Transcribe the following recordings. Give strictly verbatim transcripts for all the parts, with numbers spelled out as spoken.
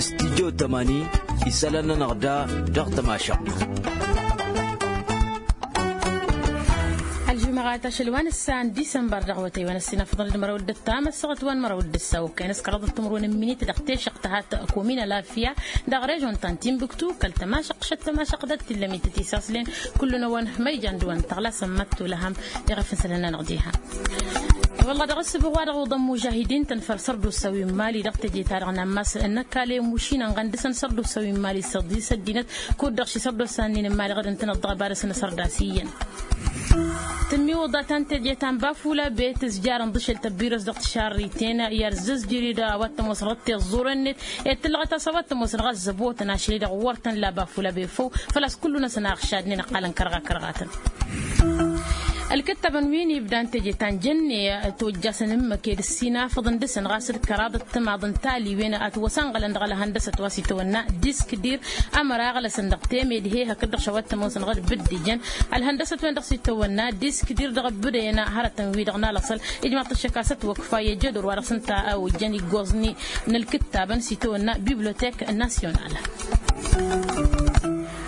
Studyo tămani isălan-nănăɣ da dăɣ-tămašăɣt. Ălžumăɣat ašăl wa n-ǝssan disămbăr dăɣ-awătay wa n-ăssinafăḍăn d-măraw d-ǝttam ăssaɣăt wa n-măraw d-ǝssaw kăyăn s-kăraḍăt timǝrwen n-minit dăɣ-tešăɣt tăhat komina lafya dăɣ-režon ta n-timbuktu kăl-tămašăɣt šăt tămašăɣt d-tillămit tisaslen. Kullu-năwăn ma ijan d-wa n-tăɣlasăn măttu lăhăm iɣăf n-sălănna năɣ diha. Wălla dăɣ-s băɣ wa dăɣ-uḍăn mužahidin tăn-făr sărdusa wi n-mali dăɣ-teje-ta-dăɣ n-ammas n-ăkall i-mušin ănɣăn dăɣ-săn sărdusa wi n-mali s-iḍisăddinăt kud-dăɣ ši sărdusa n-in n-mali ɣădăn-tăn ăḍḍăɣ ăbadăs n-asărdas iyyăn. Tǝmmiwǝḍa ta n-teje ta n-bafula be tǝzjarăn ḍǝšel tăbbiros dăɣ-tišarriten i-ad-zǝzjǝri d-a-wa t-ămoosăn ɣǝd tiẓẓuren-net ed tǝllăɣăt a-s a-wa t-ămoosăn ɣas zăbotăn ašăl-i-dăɣ wăr tăn-la bafula be făw. Făl-a-s kullu-năsăn a ăɣšadnen ăqqalăn kărɣa-kărɣatăn. Ălkǝttabăn wi n-ibdan teje ta n-jănne tojjasăn ǝmmǝk ed ǝssinafăḍăn dăɣ-săn ɣas d-kăraḍ ăttămaḍ n-taliwen ătwăsănɣălăn dăɣ-ălhăndăsăt wa s-itawănna disk dir. Ămăra ăɣlăsăn dăɣ-temedhe hakd-dăɣ šawăt tămoosăn ɣăr d-bǝddǝjăn ălhăndăsăt-wen-dăɣ s-itawănna disk dir dăɣ-ăbbǝdăyăn hărătăn-wi-dăɣ n-alăṣăl. Ijmaḍ-t ăššăk a-s ătwăkfa i-ăjădor wa dăɣ-s ǝnta a ojjăn iggoẓ-ni n-ălkǝttabăn s-itawănna bibliotek nasyonal.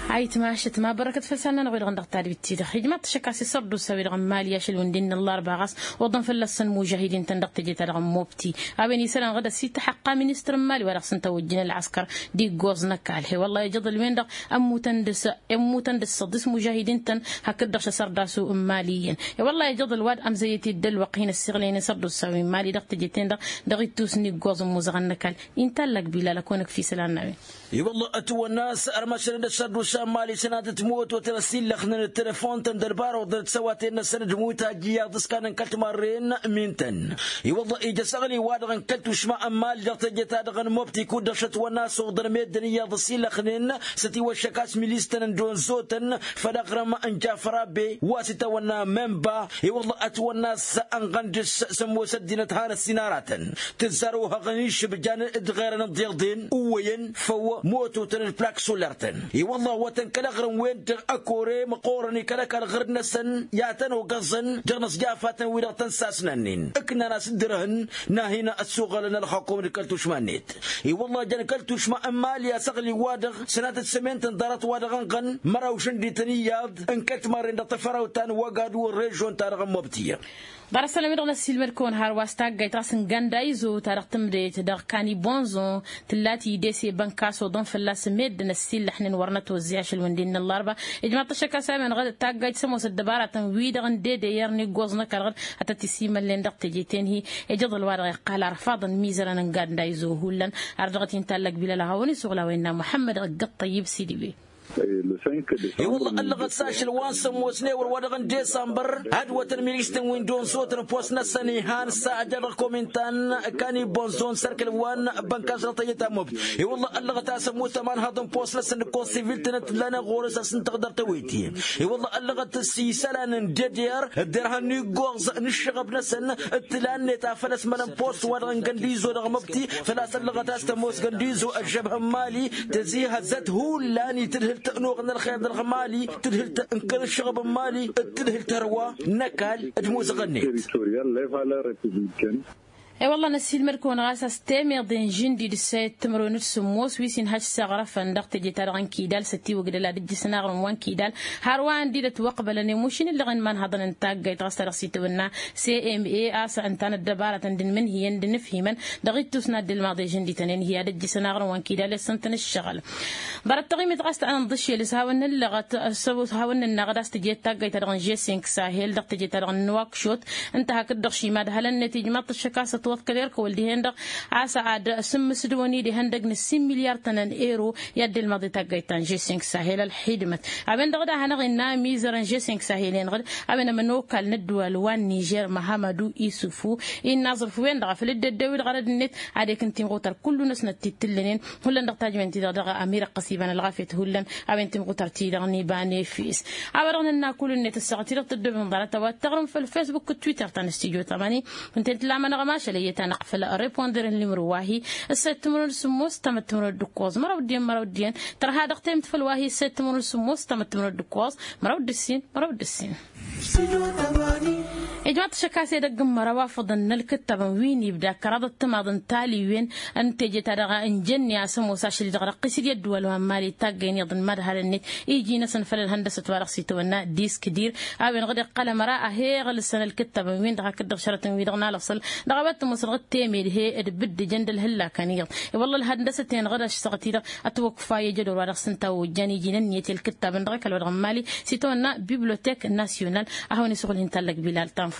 Ayǝtmašăt ma bărăkăt făll-săn-nănăɣ-wi-dăɣ n-dăɣ-tadbit-ti-dăɣ ijmaḍ-t ăššăk a-s isărdusa-wi-dăɣ n-mali ašăl wǝndin n-ăllarba ɣas oḍăn fălla-săn mužahidin-tăn dăɣ-teje-ta-dăɣ n-mobti. A-wen isălan ɣǝd ăsităxăqqa ministăr n-mali wa dăɣ-s ǝnta ojjăn ălɣăskăr d-iggoẓ n-ăkall he-wălla ijăḍăl-wen-dăɣ ămmutăn dăɣ-s ămmutăn dăɣ-s săḍis mužahidin-tăn hakd-dăɣ šăsărdasu n-mali iyyăn. He-wălla ijăḍăl wa d-ămzăyăt-dd ălwăqq hin-ăssiɣlăynen sărdusa wi n-mali dăɣ-teje-ten-dăɣ dăɣ-ittus n-iggoẓ n-imuzăɣăn n-ăkall. Inta ăllăg bilal ăkonăk fi isălan n-a-wen. I-wălla ătwănna a-s ărmăšălăn d-ăššărdusa n-mali sănatăt mototăn ăsillăxnen d-telăfon-tăn d-ălbar oḍăn d-săwaten-năsăn d-mutaj iyyăḍ s-kanăn kăl-timarren. Min-tăn i-wălla ija s-aɣli-wa-dăɣ n-kăl-tušma n-mali dăɣ-teje-ta-dăɣ n-mobti kud-dăɣ šătwănna a-s oḍăn meddǝn iyyăḍ ăsillăxnen. S-ătiwăššăk a-s milistăn n-donzotăn făll-aɣrǝm n-jafărabe wa s-itawănna memba. I-wălla ătwănna a-s ănɣăn dăɣ-s s-ămoos ăddinăt hanăt-sin aratăn tǝzzar ohăɣăn išǝbjan d-ɣerăn ǝḍḍeḍen uwăyăn făw mototăn d-plak soler-tăn. I-wălla awătăn kăl-aɣrǝm-wen-dăɣ ăkore măqqoorăn i-kăl-ăkall ɣǝrǝd-năsăn i-ad-tăn-ogăẓăn dăɣ-inăẓjafat n-wi-dăɣ tăn-sasnannen ǝknan-as dd-irhǝn n-ad-hin-ăssuɣălăn ălxukum d-kăl-tušma-net. I-wălla jăn kăl-tušma n-mali a-s aɣli-wa-dăɣ sănatăt sămen-tăn ḍarăt-wa-dăɣ ănɣăn măraw žăndităn iyyăḍ n-kăl-timarren dăɣ-tafărawt ta n-wăgadu ălrežon-ta-dăɣ n-mobti. Ḍarăt-sălăm-i-dăɣ năssiilmăd-kăwăn hărwa s-taggayt ɣas n-gandayzo ta dăɣ-tǝmdăyăt dăɣ-kani bonzon tǝlla tidese bănkasoḍăn fălla-s meddǝn ăssiillăḥnen wăr nătwăzzey ašăl wǝndin n-ăllarba. Ijmaḍ-t ăššăk a-s a-wen ɣăd taggayt s-ămoosăt dăbaratăn-wi-dăɣ n-dedăyăr n-iggoẓ n-ăkall ɣăd ad-tăt-isimălnen dăɣ-teje-ten-hi. Ijăḍăl-wa-dăɣ iqqal arfaḍăn imizărăn n-gandayzo hullan. Ar dăɣ-t-intallăg bilal a hawăn-isuɣǝl a-wa innă muḥămmăd ăgg-ăṭṭăyyǝb sidibe. I-wălla ăllăɣăt s-ašăl wa n-sămoos n-ewăr wa dăɣ-n disămbăr ad-wătăn milistăn wi n-donzotăn post-năsăn ihan s-ajăr dăɣ-komintan kani bonzon sărkăl wa n-bănkas dăɣ-tăjăt amob. I-wălla ăllăɣăt a-s ămmut ămanhăḍ n-post-năsăn d-konsivil-tăn d-tǝllanen ɣur-s a-s n-tăɣdăr tăwit-i. I-wălla ăllăɣăt s-isălan n-dd-dd-irhăn n-iggoẓ n-ǝššăɣăb-năsăn d-tǝla-net a făl ăsmălăn post-wa-dăɣ n-găndǝy-zo dăɣ-măbti. Făl-a-s ăllăɣăt a-s tămoos găndǝy-zo ăžžăbhăn mali tăzihăzăt hullan i-tǝdhǝlt n-oɣ n-ălxer dăɣ-mali tǝdhǝlt n-kăl-ǝššăɣăb n-mali d-tǝdhǝlt hărwa n-ăkall d-imuzăɣăn-net. I-wălla năssiilmăd-kăwăn ɣas a-s temeḍe n-žǝndi d-ǝssa i-ăttămărwen d-sǝmmos wi s-inhăš s-aɣrăfăn dăɣ-teje-ta-dăɣ n-kidal s-ătiwǝgdăl ad-ǝjjǝsăn aɣrǝm wa n-kidal. Hărwa ǝndi d-ătwăqbălăn i-mušin ǝllăɣen imanhăḍăn n-taggayt ɣas ta dăɣ-s itawănna cma a-s ǝnta n-ăddăbarătăn d-inmǝnhǝyăn d-inǝfhimăn dăɣ-ittus n-ad-dd-ilmaḍ i-žǝndităn-en-hi ad-ǝjjǝsăn aɣrǝm wa n-kidal i-ăssăn-tăn ǝššăɣǝl. Ḍarăt taɣimit ɣas ta n-ănḍǝšel s-hawăn-nǝllăɣăt s-hawăn-nǝnnaɣăd a-s tǝjet taggayt-ta-dăɣ n-žesink sahel dăɣ-teje-ta-dăɣ n-nuwakšot. Ǝnta hakd-dăɣ šima d-hălăn-net ijmaḍ-t ăššăk a-s ătwăḍkăl erk ăwăl dihen-dăɣ a-s ad-sǝmmǝsdǝwăn-dd ihăndăg n-ǝssin milyar-tăn n-ero i-ad-dd-ilmăḍ i-taggayt ta n-žesink sahel ălxidmăt. A-wen-dăɣ d-ad-hanăɣ-innă amizăr n-žesink sahel-en-dăɣ d-a-wen ămănokal n-ăddăwal wa n-nižer măhămădu isufu innă aẓrǝf-wen-dăɣ a făl dd-ăddewǝd ɣărăd-net ad-ekǝn timɣutar kullu-năsnăt ti t-ǝllănen. Hullan dăɣ-tajmen-ti-dăɣ dăɣ-amirăqqăs iba n-ălɣafyăt hullan. A-wen timɣutar-ti-dăɣ n-iba n-efes a-wa dăɣ-nǝnna kullu-net ăssaɣăt-i-dăɣ tăddobem ḍarăt a-wa t-taɣrǝm făll-facebook d-twitter ta n-ăstijo tamani. Ǝnta-en tǝllamănăɣ ămašal ăyyăt-anăɣ făll-riponder n-limru wa-hi. Ǝssa i-ăttămărwen d-sǝmmos ǝttam ăttămărwen d-ǝkkoẓ măraw d-iyyăn măraw d-iyyăn tărha dăɣ-temt făll-wa-hi ǝssa i-ăttămărwen d-sǝmmos ǝttam ăttămărwen d-ǝkkoẓ măraw d-ǝssin măraw d-ǝssin. Ijmaḍ-t ašăk a-s edăgg n-măraw afăḍăn n-ălkǝttabăn wi n-ibda kăraḍăt timaḍ n-taliwen n-teje-ta-dăɣ. Ǝnjănni a-s ămoos ašăl-i-dăɣ răqqis d-i ăddǝwăl wa n-mali taggăyăn iyyăḍ n-imadhalăn-net iji-năsăn făll-ălhăndăsăt wa dăɣ-s itwănna disk dir. A-wen ɣǝd iqqăl ămăra a he-iɣǝlsăn ălkǝttabăn-win-dăɣ hakd-dăɣ šărătăn-wi-dăɣ n-alăṣăl dăɣ-a-wa t-ămoosăn ɣǝd temed he-dd bǝddǝjăn d-ălhǝllakăn iyyăḍ. I-wălla ălhăndăsăt-en ɣǝd ăššăɣăt-i-dăɣ ătwăkfa i-ajădor wa dăɣ-s ǝnta a ojjan iji n-ǝnniyăt i-ălkǝttabăn dăɣ-ăkall wa dăɣ-n mali s-itwănna bibliotek nasyonal. A hawăn-isuɣǝl hin-tallăg bilal tanfust.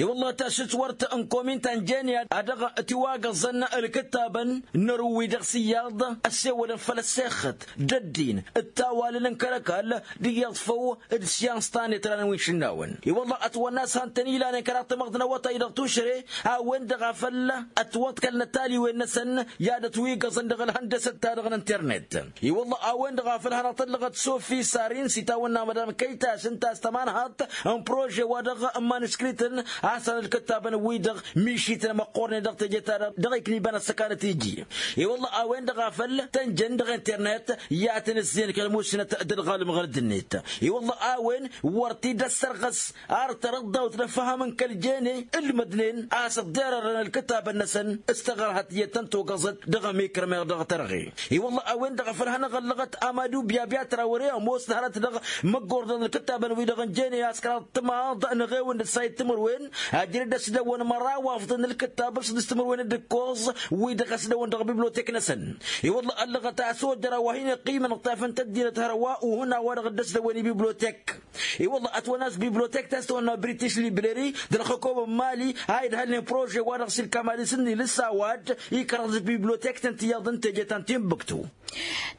I-wălla tasǝtwărt n-komin ta n-jeni a dăɣ-tiwagăẓăn ǝlkǝttabăn n-ărǝw-wi-dăɣ s-iyyăḍ ăssewălăn făll-ăssexăt d-ăddin d-tawalăl n-kăl-ăkall d-iyyăḍ făw d-syans ta n-etranăn wi n-išǝnnawăn. I-wălla ătwănna a-s han-tăn-ilanen kăraḍ tamăḍt n-awătay dăɣ-tušre a-wen-dăɣ a făl ătwăḍkălnăt taliwen-năsăn i-ad-ătwigăẓăn dăɣ-ălhăndăsăt-ta-dăɣ n-internet. I-wălla a-wen-dăɣ a făl hanăɣ-tăllăɣăt sofi sarin s-itawănna madam kăyta s-ǝnta a-s tămanhaḍt n-prože-wa-dăɣ n-manuscrităn a-s han ǝlkǝttabăn-wi-dăɣ mišităn măqqoornen dăɣ-teje-ta-dăɣ dăɣ-ikniban ăssăkanăt iji. I-wălla a-wen-dăɣ a făl tănjăn dăɣ-internet i-ad-tăn-ǝzzeyăn kăl-musnăt d-ălɣalăm ɣărăd-net. I-wălla a-wen wăr t-dd-ăssărɣăs ar tărăḍḍawt n-ăfham n-kăl-jene ǝlmădnen a-s ăḍḍerărăn ǝlkǝtabăn-năsăn s-taɣărha tiyyăt tăn-togăẓăt dăɣ-ămikăr meɣ dăɣ-tărɣe. I-wălla a-wen-dăɣ a făl hanăɣ-ăllăɣăt amadu byabya tărawăre ămoos n-hărăt-dăɣ măggordăn ǝlkǝtabăn-wi-dăɣ n-jene a-s kăraḍ timaḍ n-eɣewăn d-ăssayăt timǝrwen ajrăd ăsdăwăn măraw afḍăn ǝlkǝtab s-dd-s timǝrwen d-ǝkkoẓ wi-dăɣ ăsdăwăn dăɣ-bibliotek-năsăn. I-wălla ăllăɣăt a-s ojăr a-wa hin-iqqimăn ɣ-tafăn tăddinăt hărwa uhǝn a-wa-dăɣ dd-ăsdăwen i-bibliotek. I-wălla ătwănna a-s bibliotek ta s-tăwănna british library d-ălxăkom n-mali a idhălnen prože-wa-dăɣ s-ilkam ad-isǝnnǝy lǝssaw-ad ikărăḍ d-bibliotek-tăn tiyyăḍ n-teje ta n-tinbǝktu.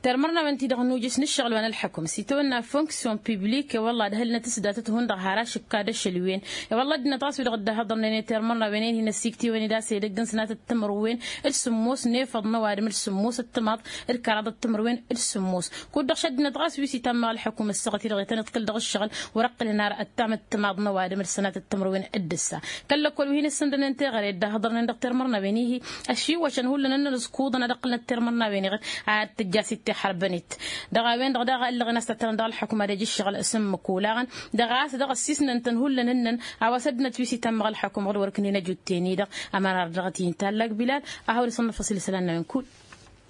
Tirmărnawen-ti-dăɣ nujǝs n-ǝššăɣǝl wa n-ălḥăkum s-itawănna fonksyon piblik i-wălla ad-hălnăt s-datăt hundăɣ har ašǝkka d-ašăl wen. I-wălla ăddinăt ɣas wi-dăɣ dd-ahăḍărnen i-tirmărnawen-en hin-ăssiktewăn-dd a-s edăgg n-sănatăt timǝrwen d-sǝmmos n-efăḍ n-ăwadǝm d-sǝmmos ăttămaḍ d-kăraḍăt timǝrwen d-sǝmmos. Kud-dăɣ šăddinăt ɣas wi s-itammăɣ ălḥăkum ăssaɣăt-i-dăɣ i-tăn-iḍkǝl dăɣ-ǝššăɣǝl wăr-ǝqqǝlăn ar ăttam ăttămaḍ n-ăwadǝm d-sănatăt timǝrwen d-ǝssa. Kăl-lăkkol wi hin-ǝssǝndănen teɣăre dd-ahăḍărnen dăɣ-termărnawen-ihi ăššiwăšăn hullan ǝnnăn ǝẓkuḍăn ad-ǝqqǝlnăt termărnawen-iɣ ad-tǝjj a-s ittixărbăn-it. Dăɣ-a-wen-dăɣ daɣ ăllăɣen a-s tăttărăn dăɣ-ălḥăkum ad-ăj ǝššăɣǝl s-ǝmmǝk olaɣăn dăɣ-a-s dăɣ-ăssisnăn-tăn hullan ǝnnăn a-wa s-ăddinăt wi s-itammăɣ ălḥăkum ɣǝd wăr-ǝknen ăjut-ten-i-dăɣ. Ămărar dăɣ-t-i n-tallak bilal a hawăn-isănnăfăs ila isălan-năwen kull.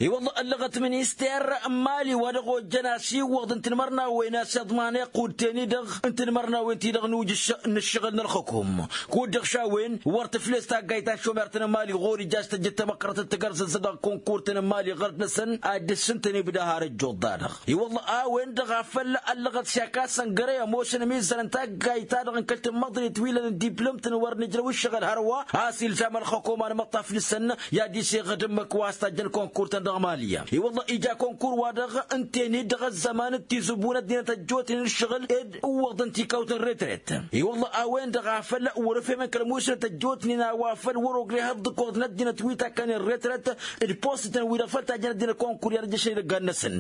I-wălla ăllăɣăt minister n-mali wa dăɣ-ojjăn asiwwăḍ n-tinmărnawen a-s iḍman iqqud-ten-i-dăɣ n-tinmărnawen-ti-dăɣ n-ujǝš n-ǝššăɣǝl n-ălxăkum. Kud-dăɣ šawen wăr tǝfles taggayt ta n-šomer-tăn n-mali ɣur-ija a-s tăjjăt tamăqqărăt d-tagărẓăt dăɣ-konkurt-tăn n-mali ɣărăt-năsăn ad-dd-ǝssǝntăn ibda har ăjjuḍ-da-dăɣ. I-wălla a-wen-dăɣ a făl ăllăɣăt s-aka săngăre ămoosăn ămizzan n-taggayt-ta-dăɣ n-kăl-tǝmmăḍrit wi lănăn diplăm-tăn wăr nǝjrăw ǝššăɣǝl hărwa a-s ilzam ălxăkom anmăṭṭaf dăɣ-săn i-ad-iseɣ d-ǝmmǝk wa s-tajjăn konkur-tăn dăɣ-mali. I-wălla ija konkur-wa-dăɣ ǝnta-en-dd dăɣ-ăzzăman d-tizǝbbu n-ăddinăt ăjjootnen ǝššăɣǝl ed ǝwwăḍăn tikawt n-retret. I-wălla a-wen-dăɣ a făl wăr-ǝfhemăn kăl-musnăt ăjjootnen a-wa făl wăr-ogre ihăḍḍǝk oḍ n-ăddinăt wi takkănen retret d-post-tăn wi-dăɣ făl tajjăn ăddinăt konkur i-ad-ăjjăšăn idăggan-năsăn.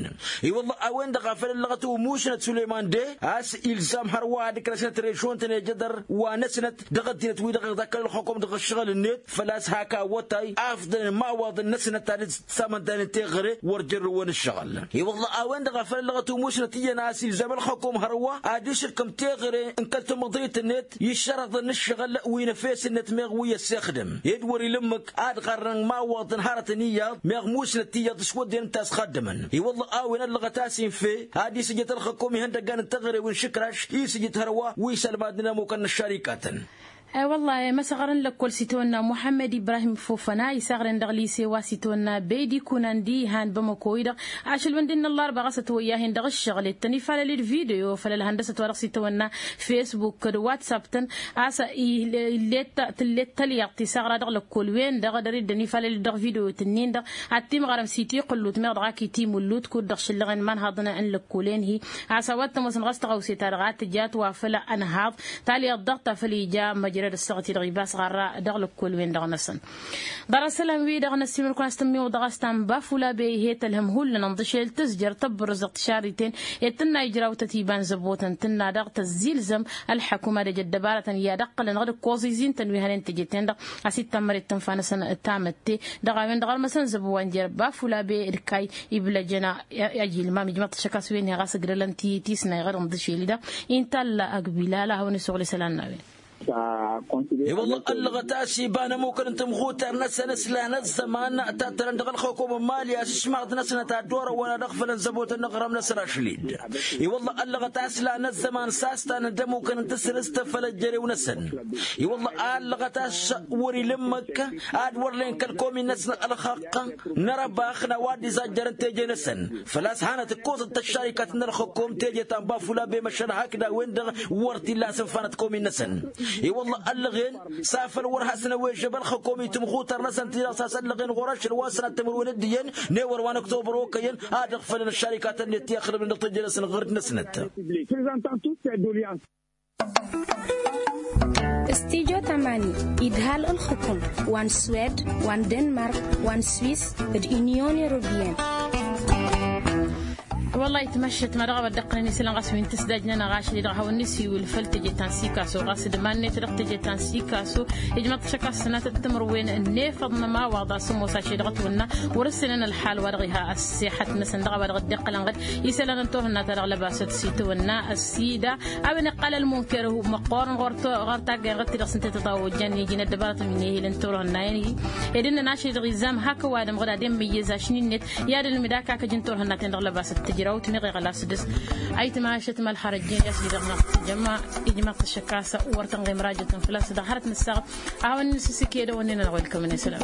I-wălla a-wen-dăɣ a făl ăllăɣăt umusnăt sulăyman de a-s ilzam hărwa ad-ǝkrăsnăt režon-tăn i-ajădăr wa năsnăt dăɣ-ăddinăt-wi-dăɣ iḍakkălăn ălxăkom dăɣ-ăššăɣǝl-net făl-a-s hak awătay afḍăn imawaḍăn-năsnăt ad-dd-samăndayăn teɣăre wăr jărrǝwăn ǝššăɣǝl. I-wălla a-wen-dăɣ a făl ăllăɣăt umusnăt iyyăn a-s ilzam ălxăkom hărwa ad-išǝkkăm teɣăre n-kăl-tamăḍrit-net i-ǝššărăḍăn n-ǝššăɣǝl wi n-efes-net meɣ wi ăssexdăm ed wăr-ila ǝmmǝk ad-ɣarrăn imawaḍăn hărătăn iyyăḍ meɣ musnăt iyyăḍ s-wădden ǝnta a-s xaddămăn. I-wălla a-wen ăllăɣăt a-s infe ad-isǝjǝt ălxăkom ihăndăggan n-teɣăre wi n-išǝkraš isǝjǝt hărwa wi s-ălmadnen ămmukăn n-ăššarikatăn. Wăllah i-măsăɣăr n-lăkkol s-itawănna muḥămmăd ibrahim fofăna isaɣren dăɣ-lise wa s-itawănna beydi kunandi ihan bamăko-i-dăɣ. Ašăl wănden n-ăllarba ɣas ătwăyyahen dăɣ-ǝššăɣǝl ittăn ifalăl-dd video făll-ălhăndăsăt wa dăɣ-s itawănna facebook d-whatsapp-tăn. A-s illet tǝllet tălyaḍt isaɣra dăɣ-lăkkol-wen-dăɣ dăr-dd-ănifalăl-dd dăɣ-video-tǝnnin-dăɣ ad-timɣărăm s-itiqǝllut meɣ dăɣ-ak itimǝllut kud-dăɣ šǝllăɣen imanhaḍăn n-lăkkol-en-hi. A-s a-wa t-ămoosăn ɣas tăɣawse-ta-dăɣ a tǝja a twafăl ănhaḍ talyaḍt daɣ ta făl ija măjrăd ăssaɣăt-i-dăɣ ibas ɣarra dăɣ-lăkkol-wen-dăɣ-năsăn. Ḍarăt isălan-wi-dăɣ n-ăssiimăl-kăwăn a-s tǝmmiwăḍăɣ a-s ta n-bafula bey he-tălhăm hullan ǝnḍǝšel tǝzjăr tăbbărǝzăɣ tišarriten i-tǝnna ijrawtăt iba n-zăbotăn tǝnna daɣ tăzzilzăm ălḥăkum ad-ăj ăddăbarătăn i-ad-ăqqălăn dăɣ-dd-ǝkkoẓ izin-tăn wi hănen teje-ten-dăɣ a-s ittămmăret tǝnfa-năsăn tamătte. Dăɣ-a-wen-dăɣ ărmăsăn zăbo wa n-jer-bafula bey d-kay iblăjăn ajilmam ijmăḍ-t ašăk a-s wen-hi ɣas ǝgrălăn tisnay ɣăr ǝnḍǝšel-i-dăɣ. Intalla ăgbilal a hawăn-isuɣǝl isălan n-a-wen. I-wălla ăllăɣăt a-s iba n-ămmukăn n-tamɣutar-năsăn s-lan ăzzăman ta t-tărăn dăɣ-ălxăkom n-imali a-s ǝšmaɣ-t-năsnăt ad-dd-orăwăn ad-ăɣfălăn zăbotăn n-aɣrăm-năsăn ašli-dd. I-wălla ăllăɣăt a-s lan ăzzăman s-a-s tanăn d-ămmukăn n-tasrǝst făll-ăjjărew-năsăn. I-wălla ăllăɣăt a-s wăr-ila ǝmmǝk ad-wăr len kăl-komi-năsnăt ălxaqq n-arăbax n-a-wa dd-izajjărăn teje-năsăn. Făl-a-s hanăt-ǝkkoẓăt tăššarikaten n-ălxăkom teje ta n-bafula bemăšal hakd a-wen-dăɣ wăr t-illa a-s ǝnfanăt komi-năsăn. I-wălla ăllăɣen s-afăl wăr hasăn-ăwežăb ălxăkom i-tamɣutar-năsăn ti-dăɣ s-a-s ăllăɣen ɣur-ašăl wa s-sănat timǝrwen d-iyyăn n-ewăr wa n-ăktobăr okăyăn ad-ăɣfălăn ăššarikaten-net ti ăxdămnen dăɣ-teje-năsăn ɣur-dd-năsnăt. Studyo tamani idhal ǝlxǝkum wa n-swed wa n-denmark wa n-swis d-unyon europeyăn. Wăllah itmăššăt ma dăɣ-a-wa dd-ăqqălăn isălan ɣas wi n-tǝsdajnăn aɣašăl-i-dăɣ hawăn-nǝsiwǝl făll-teje ta n-sikaso ɣas d-iman-net dăɣ-teje ta n-sikaso. Ijmăḍ-t šăkk a-s sănatăt timǝrwen n-efăḍ n-ămawaḍ a-s ămoos ašăl-i-dăɣ ătwănna wăr-ǝssǝnăn ălḥal wa dăɣ-iha ăssexăt-năsăn dăɣ-a-wa dăɣ-dd-iqqălăn ɣǝd isălan n-turhǝnna ta dăɣ-lăbasăt s-itwănna ăssida. A-wen iqqal ălmunker măqqoorăn ɣur-taggay n-ɣǝd-ti-dăɣ s-ǝnta i-tăḍawăjjan iji n-ăddăbarăt n-wi n-ehil n-turhǝnna-en-i ed ǝnnăn ašăl-i-dăɣ izam hak ăwadǝm ɣǝd ad-immǝyyăz ašni-net i-ad-ǝlmǝd akakăj n-turhǝnna-ten dăɣ-lăbasăt tǝjrawt meɣ iɣlas dăɣ-s. Ayǝtma ašăt mălxărăjjen i-ašăl-i-dăɣ n-ăttǝjămma ijmaḍ-t ăššăk a-s wăr tănɣem rajătăn făl-a-s dăɣ-hărăt nǝssaɣăt. A hawăn-nǝsǝsǝk i-edăwănnen-anăɣ welcome-net sălam.